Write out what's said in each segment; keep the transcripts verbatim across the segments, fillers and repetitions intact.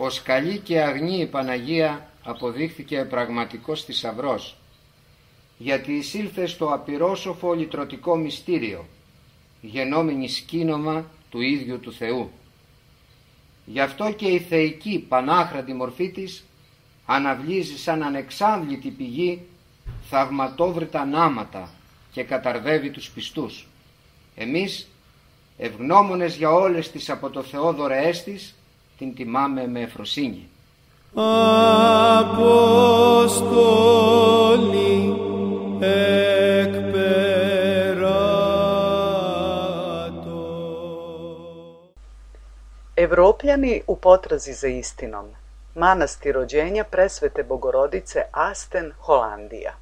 Ως καλή και αγνή η Παναγία αποδείχθηκε πραγματικός θησαυρός, γιατί εισήλθε στο απειρόσοφο λυτρωτικό μυστήριο, γενόμενη σκήνομα του ίδιου του Θεού. Γι' αυτό και η θεϊκή πανάχρατη μορφή της αναβλύζει σαν ανεξάντλητη πηγή θαυματόβρητα νάματα και καταρδεύει τους πιστούς. Εμείς, ευγνώμονες για όλες τις από το Θεό δωρεές της, την τιμάμε με ευφροσύνη. Απόστολοι ekperato. Evropljani u potrazi za istinom. Manastir rođenja presvete Bogorodice Asten, Holandija.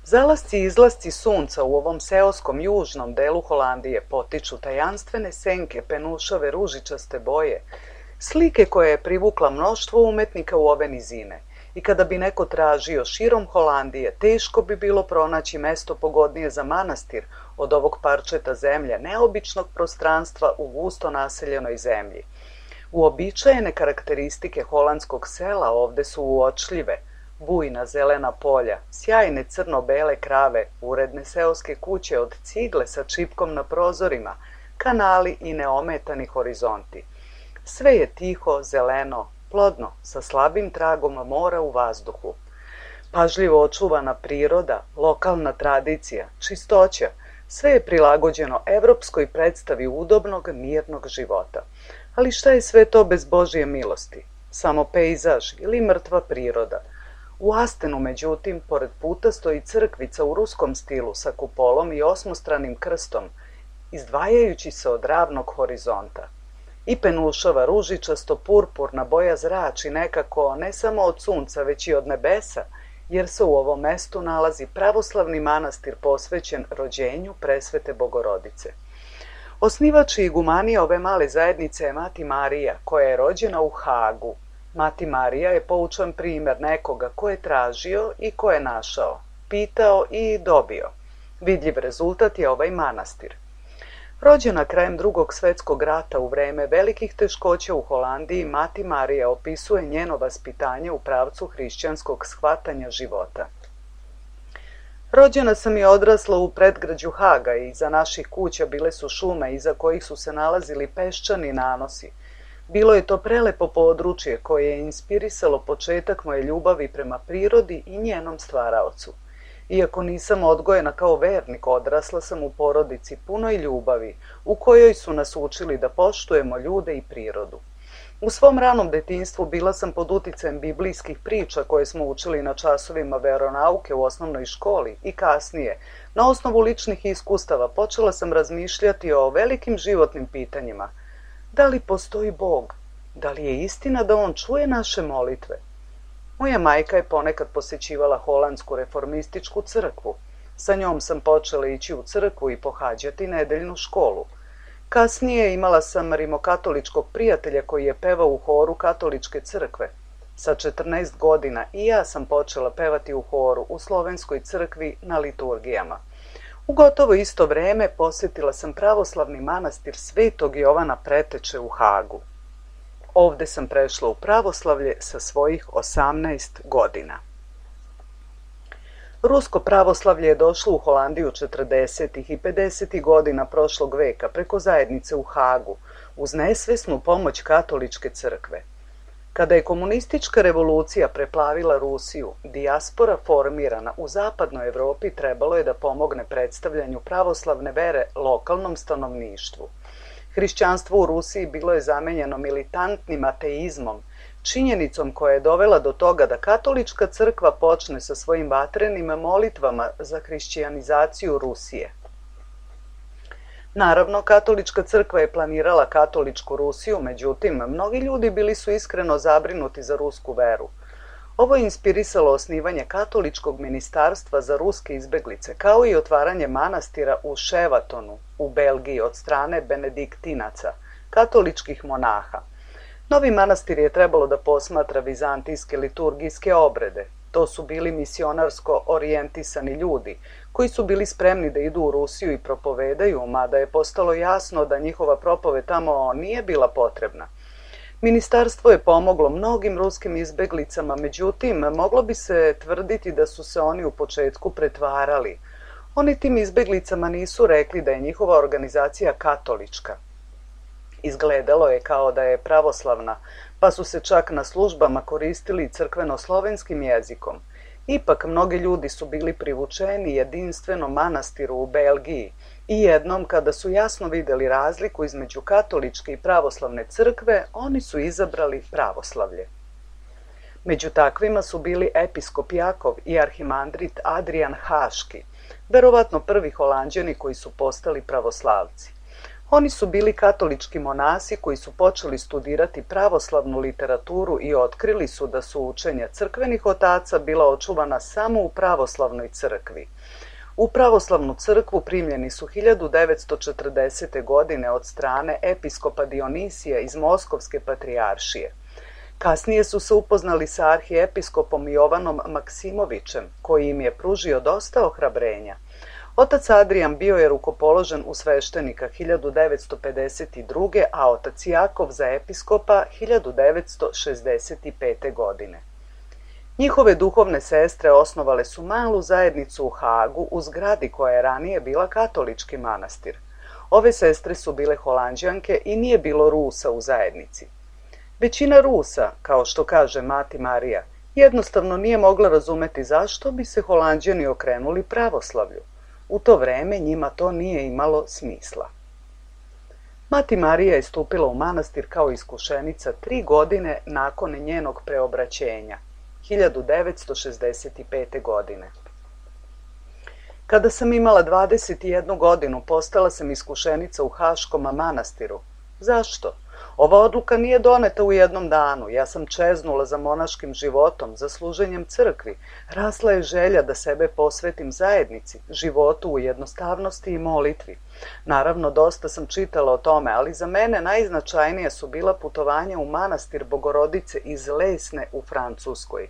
Zalasci i izlasci sunca u ovom seoskom južnom delu Holandije potiču tajanstvene senke penušave ružičaste boje, slike koja je privukla mnoštvo umetnika u ove nizine. I kada bi neko tražio širom Holandije, teško bi bilo pronaći mesto pogodnije za manastir od ovog parčeta zemlje, neobičnog prostranstva u gusto naseljenoj zemlji. Uobičajene karakteristike holandskog sela ovde su uočljive. Bujna zelena polja, sjajne crno-bele krave, uredne seoske kuće od cigle sa čipkom na prozorima, kanali i neometani horizonti. Sve je tiho, zeleno, plodno, sa slabim tragom mora u vazduhu. Pažljivo očuvana priroda, lokalna tradicija, čistoća, sve je prilagođeno evropskoj predstavi udobnog, mirnog života. Ali šta je sve to bez Božje milosti? Samo pejzaž ili mrtva priroda? U Astenu, međutim, pored puta stoji crkvica u ruskom stilu sa kupolom i osmostranim krstom, izdvajajući se od ravnog horizonta. I penušava ružičasto purpurna boja zrači nekako ne samo od sunca, već i od nebesa, jer se u ovom mestu nalazi pravoslavni manastir posvećen rođenju presvete Bogorodice. Osnivač i igumanija ove male zajednice je Mati Marija, koja je rođena u Hagu. Mati Marija je poučan primer nekoga ko je tražio i ko je našao, pitao i dobio. Vidljiv rezultat je ovaj manastir. Rođena krajem Drugog svetskog rata u vreme velikih teškoća u Holandiji, Mati Marija opisuje njeno vaspitanje u pravcu hrišćanskog shvatanja života. Rođena sam i odrasla u predgrađu Haga i iza naših kuća bile su šume iza kojih su se nalazili peščani nanosi. Bilo je to prelepo područje koje je inspirisalo početak moje ljubavi prema prirodi i njenom stvaraocu. Iako nisam odgojena kao vernik, odrasla sam u porodici punoj ljubavi, u kojoj su nas učili da poštujemo ljude i prirodu. U svom ranom detinjstvu bila sam pod uticajem biblijskih priča koje smo učili na časovima veronauke u osnovnoj školi i kasnije, na osnovu ličnih iskustava, počela sam razmišljati o velikim životnim pitanjima. Da li postoji Bog? Da li je istina da On čuje naše molitve? Moja majka je ponekad posjećivala holandsku reformističku crkvu. Sa njom sam počela ići u crkvu i pohađati nedeljnu školu. Kasnije imala sam rimokatoličkog prijatelja koji je pevao u horu katoličke crkve. Sa četrnaest godina i ja sam počela pevati u horu u slovenskoj crkvi na liturgijama. U gotovo isto vreme posjetila sam pravoslavni manastir Svetog Jovana Preteče u Hagu. Ovde sam prešla u pravoslavlje sa svojih osamnaest godina. Rusko pravoslavlje je došlo u Holandiju četrdesetih i pedesetih godina prošlog veka preko zajednice u Hagu uz nesvesnu pomoć katoličke crkve. Kada je komunistička revolucija preplavila Rusiju, dijaspora formirana u zapadnoj Evropi trebalo je da pomogne predstavljanju pravoslavne vere lokalnom stanovništvu. Hrišćanstvo u Rusiji bilo je zamenjeno militantnim ateizmom, činjenicom koja je dovela do toga da katolička crkva počne sa svojim vatrenim molitvama za hrišćanizaciju Rusije. Naravno, katolička crkva je planirala katoličku Rusiju, međutim, mnogi ljudi bili su iskreno zabrinuti za rusku veru. Ovo je inspirisalo osnivanje katoličkog ministarstva za ruske izbeglice, kao i otvaranje manastira u Ševatonu, u Belgiji, od strane benediktinaca, katoličkih monaha. Novi manastir je trebalo da posmatra vizantijske liturgijske obrede. To su bili misionarsko orijentisani ljudi, koji su bili spremni da idu u Rusiju i propovedaju, mada je postalo jasno da njihova propoved tamo nije bila potrebna. Ministarstvo je pomoglo mnogim ruskim izbeglicama, međutim, moglo bi se tvrditi da su se oni u početku pretvarali. Oni tim izbeglicama nisu rekli da je njihova organizacija katolička. Izgledalo je kao da je pravoslavna, pa su se čak na službama koristili crkveno-slovenskim jezikom. Ipak, mnogi ljudi su bili privučeni jedinstvenom manastiru u Belgiji i jednom, kada su jasno vidjeli razliku između katoličke i pravoslavne crkve, oni su izabrali pravoslavlje. Među takvima su bili episkop Jakov i arhimandrit Adrian Haški, verovatno prvi Holanđani koji su postali pravoslavci. Oni su bili katolički monasi koji su počeli studirati pravoslavnu literaturu i otkrili su da su učenja crkvenih otaca bila očuvana samo u pravoslavnoj crkvi. U pravoslavnu crkvu primljeni su hiljadu devetsto četrdesete. godine od strane episkopa Dionisija iz Moskovske patrijaršije. Kasnije su se upoznali sa arhiepiskopom Jovanom Maksimovićem, koji im je pružio dosta ohrabrenja. Otac Adrijan bio je rukopoložen u sveštenika hiljadu devetsto pedeset druge. a otac Jakov za episkopa hiljadu devetsto šezdeset pete. godine. Njihove duhovne sestre osnovale su malu zajednicu u Hagu u zgradi koja je ranije bila katolički manastir. Ove sestre su bile Holanđanke i nije bilo Rusa u zajednici. Većina Rusa, kao što kaže mati Marija, jednostavno nije mogla razumeti zašto bi se Holanđani okrenuli pravoslavlju. U to vreme njima to nije imalo smisla. Mati Marija je stupila u manastir kao iskušenica tri godine nakon njenog preobraćenja, hiljadu devetsto šezdeset pete. godine. Kada sam imala dvadeset jednu godinu, postala sam iskušenica u Haškom manastiru. Zašto? Ova odluka nije doneta u jednom danu. Ja sam čeznula za monaškim životom, za služenjem crkvi. Rasla je želja da sebe posvetim zajednici, životu u jednostavnosti i molitvi. Naravno, dosta sam čitala o tome, ali za mene najznačajnije su bila putovanja u manastir Bogorodice iz Lesne u Francuskoj.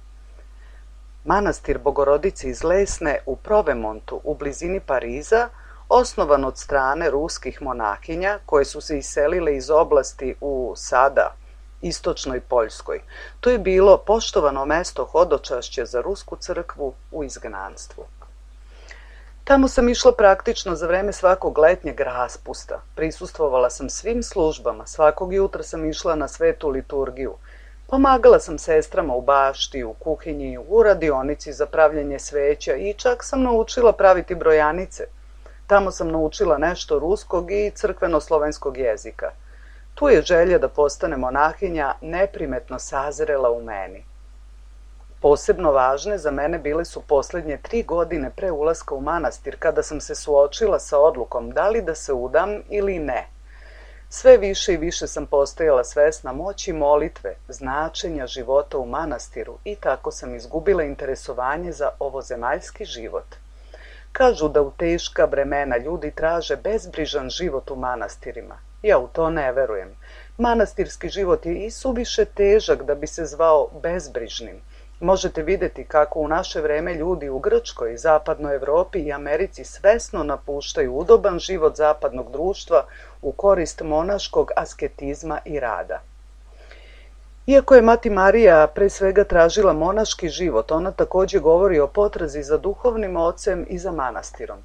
Manastir Bogorodice iz Lesne u Provemontu u blizini Pariza, osnovan od strane ruskih monahinja koje su se iselile iz oblasti u sada istočnoj Poljskoj. To je bilo poštovano mesto hodočašća za rusku crkvu u izgnanstvu. Tamo sam išla praktično za vreme svakog letnjeg raspusta. Prisustvovala sam svim službama, svakog jutra sam išla na svetu liturgiju. Pomagala sam sestrama u bašti, u kuhinji, u radionici za pravljenje sveća i čak sam naučila praviti brojanice. Tamo sam naučila nešto ruskog i crkveno-slovenskog jezika. Tu je želja da postane monahinja neprimetno sazrela u meni. Posebno važne za mene bile su posljednje tri godine pre ulaska u manastir, kada sam se suočila sa odlukom da li da se udam ili ne. Sve više i više sam postajala svesna moći molitve, značenja života u manastiru i tako sam izgubila interesovanje za ovozemaljski život. Kažu da u teška vremena ljudi traže bezbrižan život u manastirima. Ja u to ne verujem. Manastirski život je i suviše težak da bi se zvao bezbrižnim. Možete vidjeti kako u naše vreme ljudi u Grčkoj, Zapadnoj Evropi i Americi svesno napuštaju udoban život zapadnog društva u korist monaškog asketizma i rada. Iako je Mati Marija pre svega tražila monaški život, ona također govori o potrazi za duhovnim ocem i za manastirom.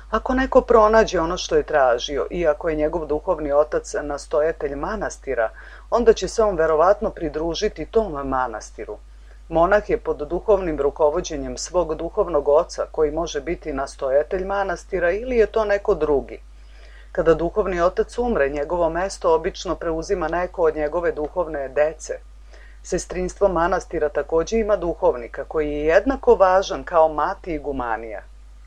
Ako neko pronađe ono što je tražio, i ako je njegov duhovni otac nastojatelj manastira, onda će se on verovatno pridružiti tom manastiru. Monah je pod duhovnim rukovođenjem svog duhovnog oca, koji može biti nastojatelj manastira ili je to neko drugi. Kada duhovni otac umre, njegovo mesto obično preuzima neko od njegove duhovne dece. Sestrinstvo manastira također ima duhovnika, koji je jednako važan kao mati igumanija.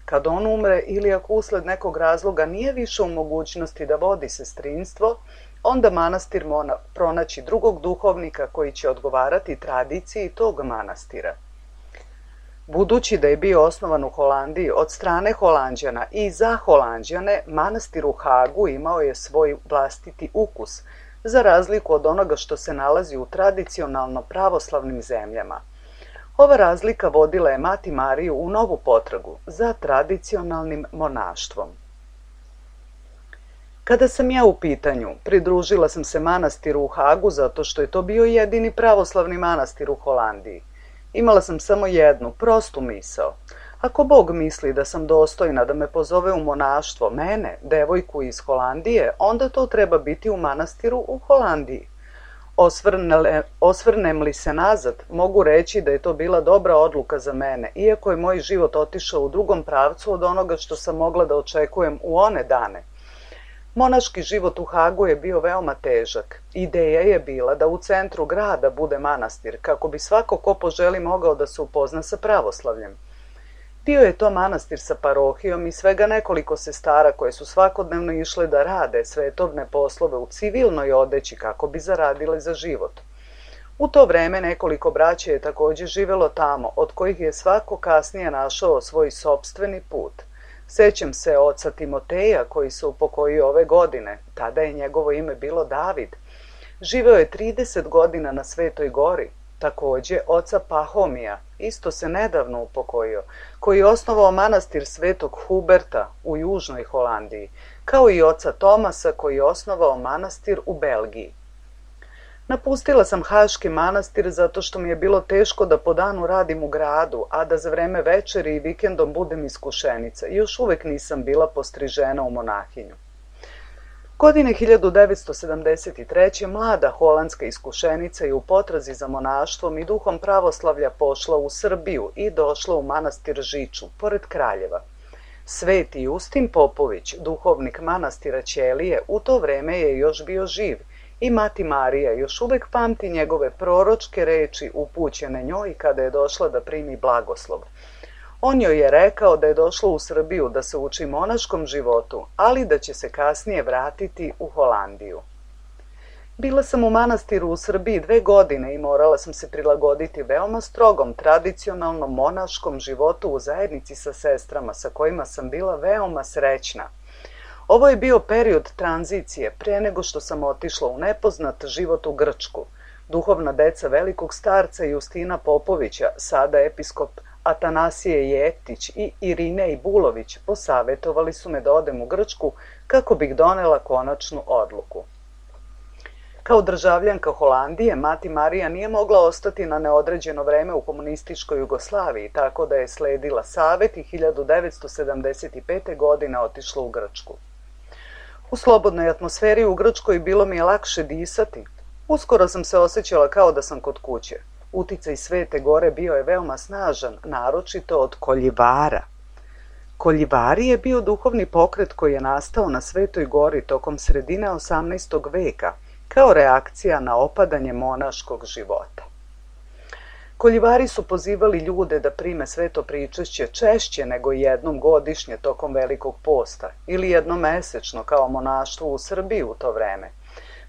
Kad on umre ili ako usled nekog razloga nije više u mogućnosti da vodi sestrinstvo, onda manastir mora pronaći drugog duhovnika koji će odgovarati tradiciji tog manastira. Budući da je bio osnovan u Holandiji od strane Holanđana i za Holanđane, manastir u Hagu imao je svoj vlastiti ukus, za razliku od onoga što se nalazi u tradicionalno pravoslavnim zemljama. Ova razlika vodila je Mati Mariju u novu potragu za tradicionalnim monaštvom. Kada sam ja u pitanju, pridružila sam se manastiru u Hagu zato što je to bio jedini pravoslavni manastir u Holandiji. Imala sam samo jednu, prostu misao. Ako Bog misli da sam dostojna da me pozove u monaštvo, mene, devojku iz Holandije, onda to treba biti u manastiru u Holandiji. Osvrne, osvrnem li se nazad, mogu reći da je to bila dobra odluka za mene, iako je moj život otišao u drugom pravcu od onoga što sam mogla da očekujem u one dane. Monaški život u Hagu je bio veoma težak. Ideja je bila da u centru grada bude manastir, kako bi svako ko poželi mogao da se upozna sa pravoslavljem. Bio je to manastir sa parohijom i svega nekoliko sestara koje su svakodnevno išle da rade svetovne poslove u civilnoj odeći kako bi zaradile za život. U to vreme nekoliko braće je također živelo tamo, od kojih je svako kasnije našao svoj sopstveni put. Sećam se oca Timoteja koji se upokojio ove godine, tada je njegovo ime bilo David. Živeo je trideset godina na Svetoj gori. Također oca Pahomija, isto se nedavno upokojio, koji je osnovao manastir Svetog Huberta u južnoj Holandiji, kao i oca Tomasa koji je osnovao manastir u Belgiji. Napustila sam Haški manastir zato što mi je bilo teško da po danu radim u gradu, a da za vreme večeri i vikendom budem iskušenica. Još uvek nisam bila postrižena u monahinju. Godine hiljadu devetsto sedamdeset treće. mlada holandska iskušenica je u potrazi za monaštvom i duhom pravoslavlja pošla u Srbiju i došla u manastir Žiču, pored Kraljeva. Sveti Justin Popović, duhovnik manastira Ćelije, u to vreme je još bio živ i Mati Marija još uvek pamti njegove proročke reči upućene njoj kada je došla da primi blagoslov. On joj je rekao da je došla u Srbiju da se uči monaškom životu, ali da će se kasnije vratiti u Holandiju. Bila sam u manastiru u Srbiji dve godine i morala sam se prilagoditi veoma strogom tradicionalnom monaškom životu u zajednici sa sestrama sa kojima sam bila veoma srećna. Ovo je bio period tranzicije pre nego što sam otišla u nepoznat život u Grčku. Duhovna deca velikog starca Justina Popovića, sada episkop Atanasije Jeftić i Irinej Bulović posavetovali su me da odem u Grčku kako bih donela konačnu odluku. Kao državljanka Holandije, Mati Marija nije mogla ostati na neodređeno vreme u komunističkoj Jugoslaviji, tako da je sledila savet i hiljadu devetsto sedamdeset pete. godine otišla u Grčku. U slobodnoj atmosferi u Grčkoj bilo mi je lakše disati. Uskoro sam se osjećala kao da sam kod kuće. Uticaj Svete gore bio je veoma snažan, naročito od koljivara. Koljivari je bio duhovni pokret koji je nastao na Svetoj gori tokom sredine osamnaestog veka, kao reakcija na opadanje monaškog života. Koljivari su pozivali ljude da prime sveto pričešće češće nego jednom godišnje tokom Velikog posta ili jednomesečno kao monaštvo u Srbiji u to vreme.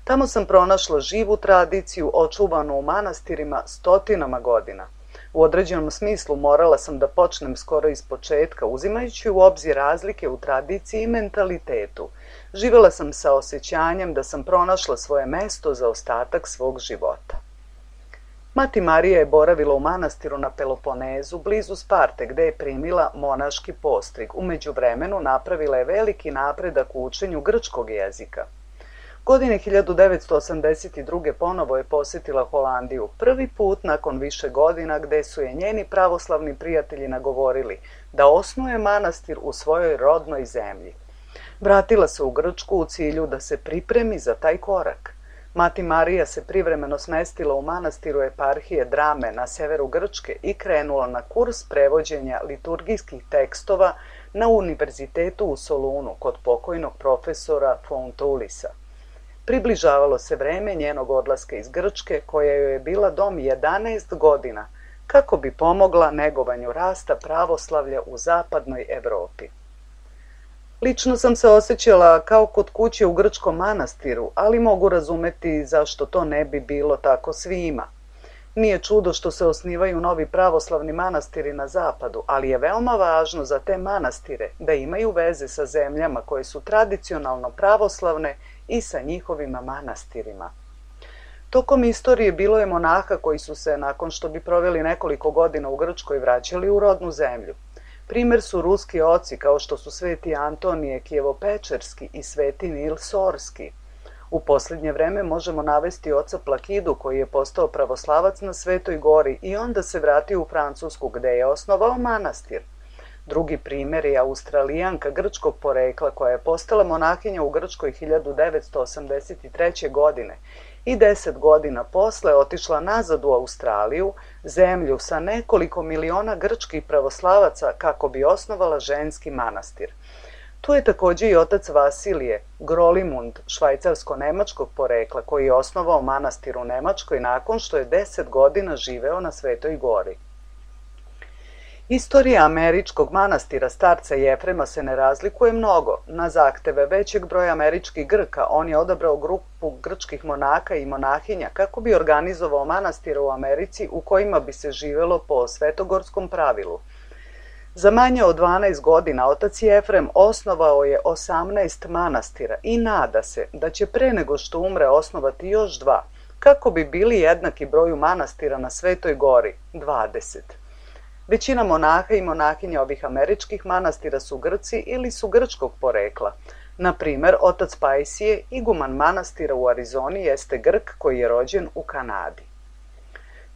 Tamo sam pronašla živu tradiciju očuvanu u manastirima stotinama godina. U određenom smislu morala sam da počnem skoro iz početka, uzimajući u obzir razlike u tradiciji i mentalitetu. Živela sam sa osjećanjem da sam pronašla svoje mesto za ostatak svog života. Mati Marija je boravila u manastiru na Peloponezu, blizu Sparte, gde je primila monaški postrig. U međuvremenu napravila je veliki napredak u učenju grčkog jezika. Godine hiljadu devetsto osamdeset druge ponovo je posjetila Holandiju, prvi put nakon više godina, gde su je njeni pravoslavni prijatelji nagovorili da osnuje manastir u svojoj rodnoj zemlji. Vratila se u Grčku u cilju da se pripremi za taj korak. Mati Marija se privremeno smestila u manastiru eparhije Drame na severu Grčke i krenula na kurs prevođenja liturgijskih tekstova na univerzitetu u Solunu kod pokojnog profesora Fontulisa. Približavalo se vreme njenog odlaska iz Grčke, koja joj je bila dom jedanaest godina, kako bi pomogla negovanju rasta pravoslavlja u zapadnoj Evropi. Lično sam se osjećala kao kod kuće u grčkom manastiru, ali mogu razumeti zašto to ne bi bilo tako svima. Nije čudo što se osnivaju novi pravoslavni manastiri na zapadu, ali je veoma važno za te manastire da imaju veze sa zemljama koje su tradicionalno pravoslavne i sa njihovim manastirima. Tokom istorije bilo je monaha koji su se, nakon što bi proveli nekoliko godina u Grčkoj, vraćali u rodnu zemlju. Primer su ruski oci kao što su sveti Antonije Kijevopečerski i sveti Nil Sorski. U posljednje vreme možemo navesti oca Plakidu koji je postao pravoslavac na Svetoj gori i onda se vratio u Francusku gde je osnovao manastir. Drugi primer je Australijanka grčkog porekla koja je postala monahinja u Grčkoj hiljadu devetsto osamdeset treće. godine i deset godina posle otišla nazad u Australiju, zemlju sa nekoliko miliona grčkih pravoslavaca, kako bi osnovala ženski manastir. Tu je takođe i otac Vasilije, Grolimund, švajcarsko-nemačkog porekla, koji je osnovao manastir u Nemačkoj nakon što je deset godina živeo na Svetoj gori. Istorija američkog manastira starca Jefrema se ne razlikuje mnogo. Na zahteve većeg broja američkih Grka on je odabrao grupu grčkih monaka i monahinja kako bi organizovao manastire u Americi u kojima bi se živelo po svetogorskom pravilu. Za manje od dvanaest godina otac Jefrem osnovao je osamnaest manastira i nada se da će pre nego što umre osnovati još dva, kako bi bili jednaki broju manastira na Svetoj gori, dvadeset. Većina monaha i monahinja ovih američkih manastira su Grci ili su grčkog porekla. Na primer, otac Pajsije, iguman manastira u Arizoni, jeste Grk koji je rođen u Kanadi.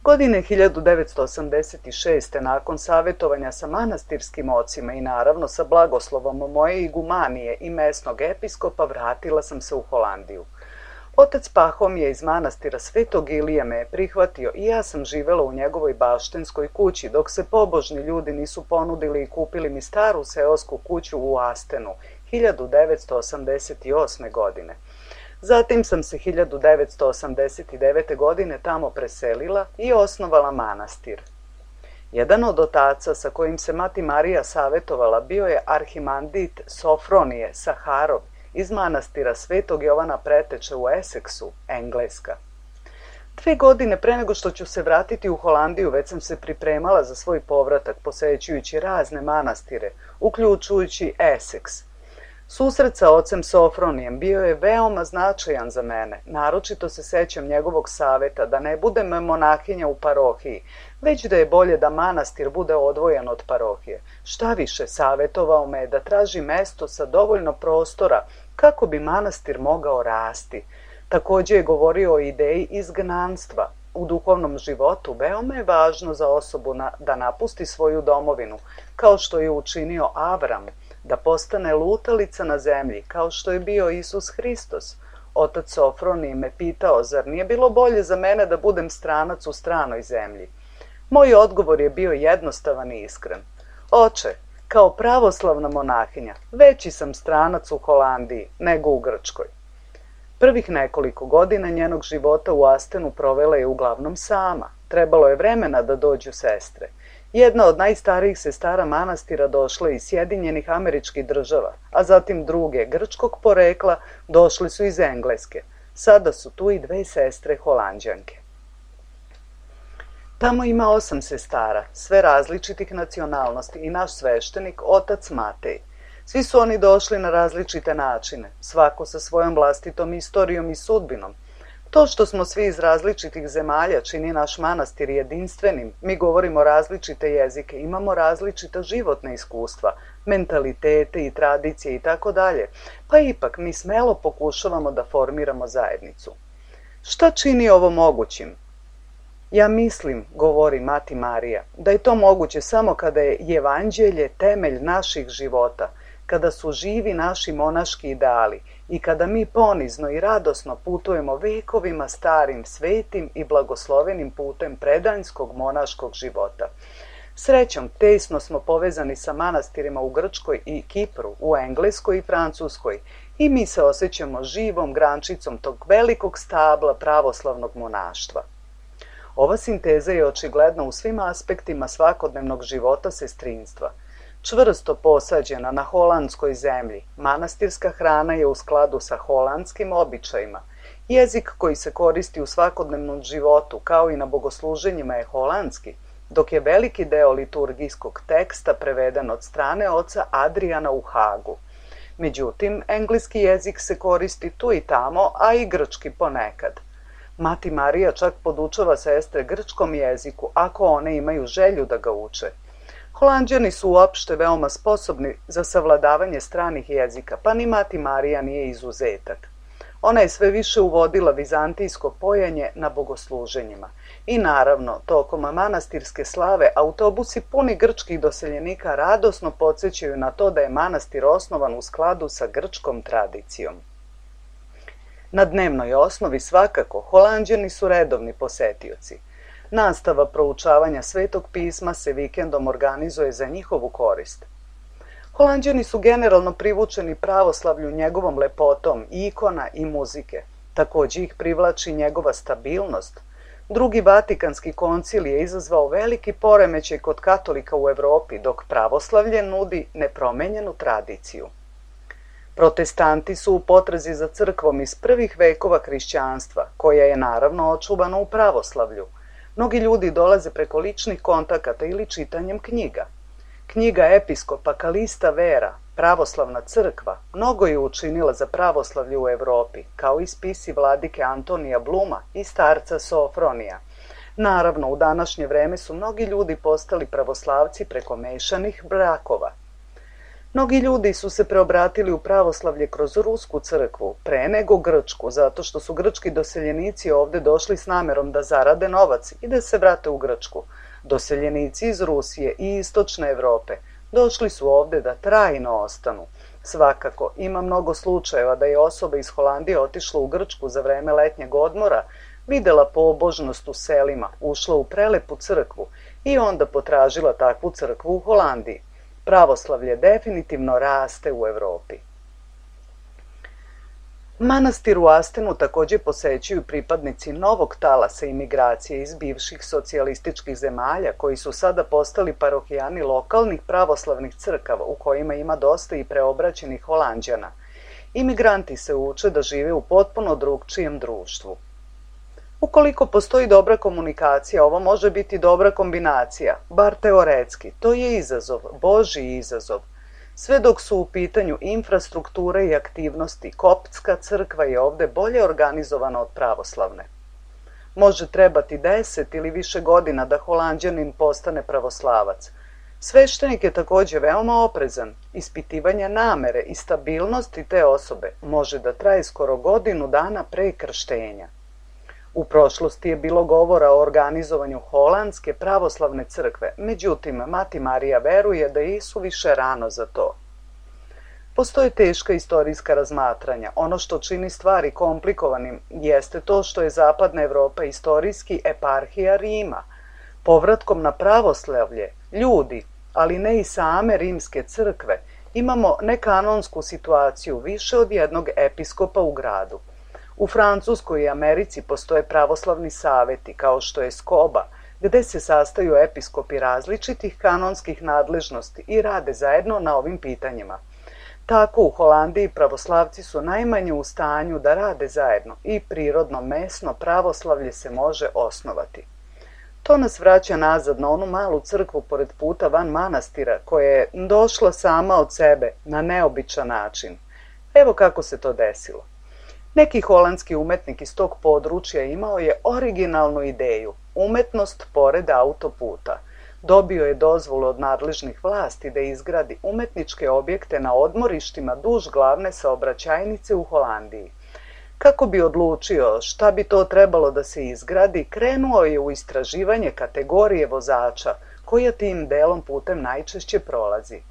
Godine hiljadu devetsto osamdeset šeste. nakon savjetovanja sa manastirskim ocima i naravno sa blagoslovom moje igumanije i mesnog episkopa, vratila sam se u Holandiju. Otac Pahom je iz manastira Svetog Ilije me prihvatio i ja sam živela u njegovoj baštenskoj kući, dok se pobožni ljudi nisu ponudili i kupili mi staru seosku kuću u Astenu, hiljadu devetsto osamdeset osme. godine. Zatim sam se hiljadu devetsto osamdeset devete. godine tamo preselila i osnovala manastir. Jedan od otaca sa kojim se mati Marija savjetovala bio je arhimandrit Sofronije Saharov iz manastira Svetog Jovana Preteče u Essexu, Engleska. Dve godine pre nego što ću se vratiti u Holandiju, već sam se pripremala za svoj povratak, posećujući razne manastire, uključujući Essex. Susret sa ocem Sofronijem bio je veoma značajan za mene, naročito se sećam njegovog saveta da ne budem monahinja u parohiji, već da je bolje da manastir bude odvojen od parohije. Šta više, savetovao me je da traži mesto sa dovoljno prostora kako bi manastir mogao rasti. Takođe je govorio o ideji izgnanstva. U duhovnom životu veoma je važno za osobu na, da napusti svoju domovinu, kao što je učinio Avram, da postane lutalica na zemlji, kao što je bio Isus Hristos. Otac Sofronij me pitao, zar nije bilo bolje za mene da budem stranac u stranoj zemlji? Moj odgovor je bio jednostavan i iskren. Oče, kao pravoslavna monahinja, veći sam stranac u Holandiji nego u Grčkoj. Prvih nekoliko godina njenog života u Astenu provela je uglavnom sama. Trebalo je vremena da dođu sestre. Jedna od najstarijih sestara manastira došla iz Sjedinjenih Američkih Država, a zatim druge grčkog porekla došli su iz Engleske. Sada su tu i dve sestre Holanđanke. Tamo ima osam sestara, sve različitih nacionalnosti i naš sveštenik, otac Matej. Svi su oni došli na različite načine, svako sa svojom vlastitom istorijom i sudbinom. To što smo svi iz različitih zemalja čini naš manastir jedinstvenim, mi govorimo različite jezike, imamo različita životna iskustva, mentalitete i tradicije i tako dalje, pa ipak mi smelo pokušavamo da formiramo zajednicu. Šta čini ovo mogućim? Ja mislim, govori Mati Marija, da je to moguće samo kada je evanđelje temelj naših života, kada su živi naši monaški ideali i kada mi ponizno i radosno putujemo vekovima starim, svetim i blagoslovenim putem predanjskog monaškog života. Srećom, tesno smo povezani sa manastirima u Grčkoj i Kipru, u Engleskoj i Francuskoj i mi se osjećamo živom grančicom tog velikog stabla pravoslavnog monaštva. Ova sinteza je očigledna u svim aspektima svakodnevnog života sestrinstva. Čvrsto posađena na holandskoj zemlji, manastirska hrana je u skladu sa holandskim običajima. Jezik koji se koristi u svakodnevnom životu, kao i na bogosluženjima, je holandski, dok je veliki deo liturgijskog teksta preveden od strane oca Adriana u Hagu. Međutim, engleski jezik se koristi tu i tamo, a i grčki ponekad. Mati Marija čak podučava sestre grčkom jeziku, ako one imaju želju da ga uče. Holanđani su uopšte veoma sposobni za savladavanje stranih jezika, pa ni Mati Marija nije izuzetak. Ona je sve više uvodila vizantijsko pojanje na bogosluženjima. I naravno, tokom manastirske slave, autobusi puni grčkih doseljenika radosno podsjećaju na to da je manastir osnovan u skladu sa grčkom tradicijom. Na dnevnoj osnovi svakako, Holanđani su redovni posetioci. Nastava proučavanja Svetog pisma se vikendom organizuje za njihovu korist. Holanđani su generalno privučeni pravoslavlju njegovom lepotom, ikona i muzike. Takođe ih privlači njegova stabilnost. Drugi Vatikanski koncil je izazvao veliki poremećaj kod katolika u Evropi, dok pravoslavlje nudi nepromenjenu tradiciju. Protestanti su u potrazi za crkvom iz prvih vekova hrišćanstva, koja je naravno očuvana u pravoslavlju. Mnogi ljudi dolaze preko ličnih kontakata ili čitanjem knjiga. Knjiga episkopa Kalista Vera, Pravoslavna crkva, mnogo je učinila za pravoslavlje u Evropi, kao i spisi vladike Antonija Bluma i starca Sofronija. Naravno, u današnje vreme su mnogi ljudi postali pravoslavci preko mešanih brakova. Mnogi ljudi su se preobratili u pravoslavlje kroz rusku crkvu, pre nego grčku, zato što su grčki doseljenici ovde došli s namerom da zarade novac i da se vrate u Grčku. Doseljenici iz Rusije i istočne Evrope došli su ovde da trajno ostanu. Svakako, ima mnogo slučajeva da je osoba iz Holandije otišla u Grčku za vreme letnjeg odmora, videla pobožnost u selima, ušla u prelepu crkvu i onda potražila takvu crkvu u Holandiji. Pravoslavlje definitivno raste u Evropi. Manastir u Astenu takođe posećuju pripadnici novog talasa imigracije iz bivših socijalističkih zemalja koji su sada postali parohijani lokalnih pravoslavnih crkava u kojima ima dosta i preobraćenih Holanđana. Imigranti se uče da žive u potpuno drugčijem društvu. Ukoliko postoji dobra komunikacija, ovo može biti dobra kombinacija, bar teoretski. To je izazov, Božji izazov. Sve dok su u pitanju infrastruktura i aktivnosti, koptska crkva je ovde bolje organizovana od pravoslavne. Može trebati deset ili više godina da Holanđanin postane pravoslavac. Sveštenik je takođe veoma oprezan. Ispitivanje namere i stabilnosti te osobe može da traje skoro godinu dana pre krštenja. U prošlosti je bilo govora o organizovanju holandske pravoslavne crkve, međutim, Mati Marija veruje da je isuviše rano za to. Postoje teška istorijska razmatranja. Ono što čini stvari komplikovanim jeste to što je Zapadna Evropa istorijski eparhija Rima. Povratkom na pravoslavlje, ljudi, ali ne i same rimske crkve, imamo nekanonsku situaciju više od jednog episkopa u gradu. U Francuskoj i Americi postoje pravoslavni saveti, kao što je Skoba, gde se sastaju episkopi različitih kanonskih nadležnosti i rade zajedno na ovim pitanjima. Tako u Holandiji pravoslavci su najmanje u stanju da rade zajedno i prirodno mesno pravoslavlje se može osnovati. To nas vraća nazad na onu malu crkvu pored puta van manastira koja je došla sama od sebe na neobičan način. Evo kako se to desilo. Neki holandski umetnik iz tog područja imao je originalnu ideju, umetnost pored autoputa. Dobio je dozvolu od nadležnih vlasti da izgradi umetničke objekte na odmorištima duž glavne saobraćajnice u Holandiji. Kako bi odlučio šta bi to trebalo da se izgradi, krenuo je u istraživanje kategorije vozača koja tim delom putem najčešće prolazi.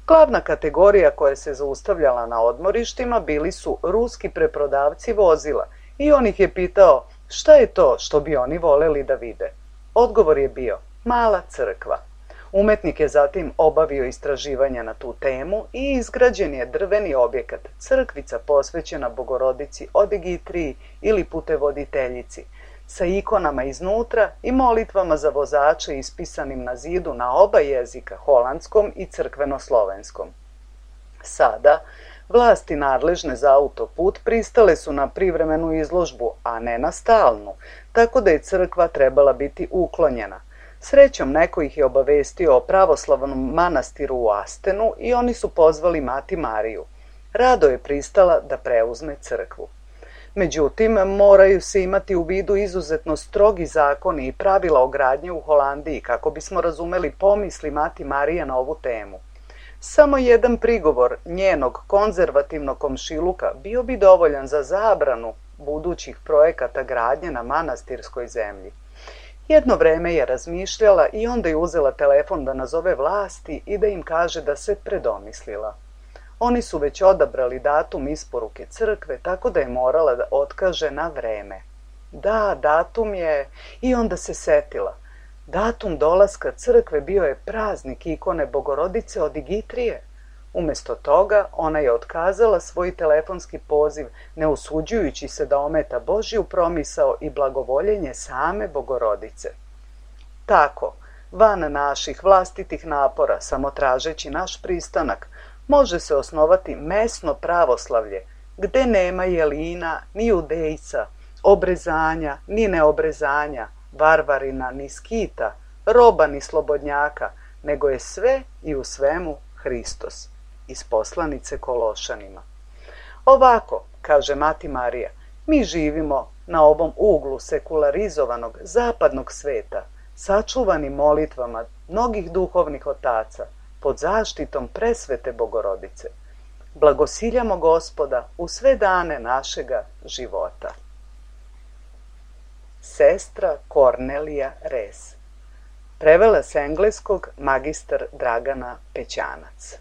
Glavna kategorija koja se zaustavljala na odmorištima bili su ruski preprodavci vozila i on ih je pitao šta je to što bi oni voleli da vide. Odgovor je bio mala crkva. Umetnik je zatim obavio istraživanja na tu temu i izgrađen je drveni objekat, crkvica posvećena Bogorodici Odigitriji ili putevoditeljici, sa ikonama iznutra i molitvama za vozače ispisanim na zidu na oba jezika, holandskom i crkveno-slovenskom. Sada, vlasti nadležne za autoput pristale su na privremenu izložbu, a ne na stalnu, tako da je crkva trebala biti uklonjena. Srećom, neko ih je obavestio o pravoslavnom manastiru u Astenu i oni su pozvali Mati Mariju. Rado je pristala da preuzme crkvu. Međutim, moraju se imati u vidu izuzetno strogi zakoni i pravila o gradnji u Holandiji kako bismo razumeli pomisli Mati Marije na ovu temu. Samo jedan prigovor njenog konzervativnog komšiluka bio bi dovoljan za zabranu budućih projekata gradnje na manastirskoj zemlji. Jedno vreme je razmišljala i onda je uzela telefon da nazove vlasti i da im kaže da se predomislila. Oni su već odabrali datum isporuke crkve, tako da je morala da otkaže na vreme. Da, datum je... I onda se setila. Datum dolaska crkve bio je praznik ikone Bogorodice Odigitrije. Umesto toga, ona je otkazala svoj telefonski poziv, ne usuđujući se da ometa Božju promisao i blagovoljenje same Bogorodice. Tako, van naših vlastitih napora, samo tražeći naš pristanak, može se osnovati mesno pravoslavlje, gde nema jelina, ni judejca, obrezanja, ni neobrezanja, varvarina, ni skita, roba, ni slobodnjaka, nego je sve i u svemu Hristos. Iz poslanice Kološanima. Ovako, kaže Mati Marija, mi živimo na ovom uglu sekularizovanog zapadnog sveta, sačuvani molitvama mnogih duhovnih otaca, pod zaštitom presvete Bogorodice. Blagosiljamo Gospoda u sve dane našega života. Sestra Kornelija Res. Prevela s engleskog magistar Dragana Pećanac.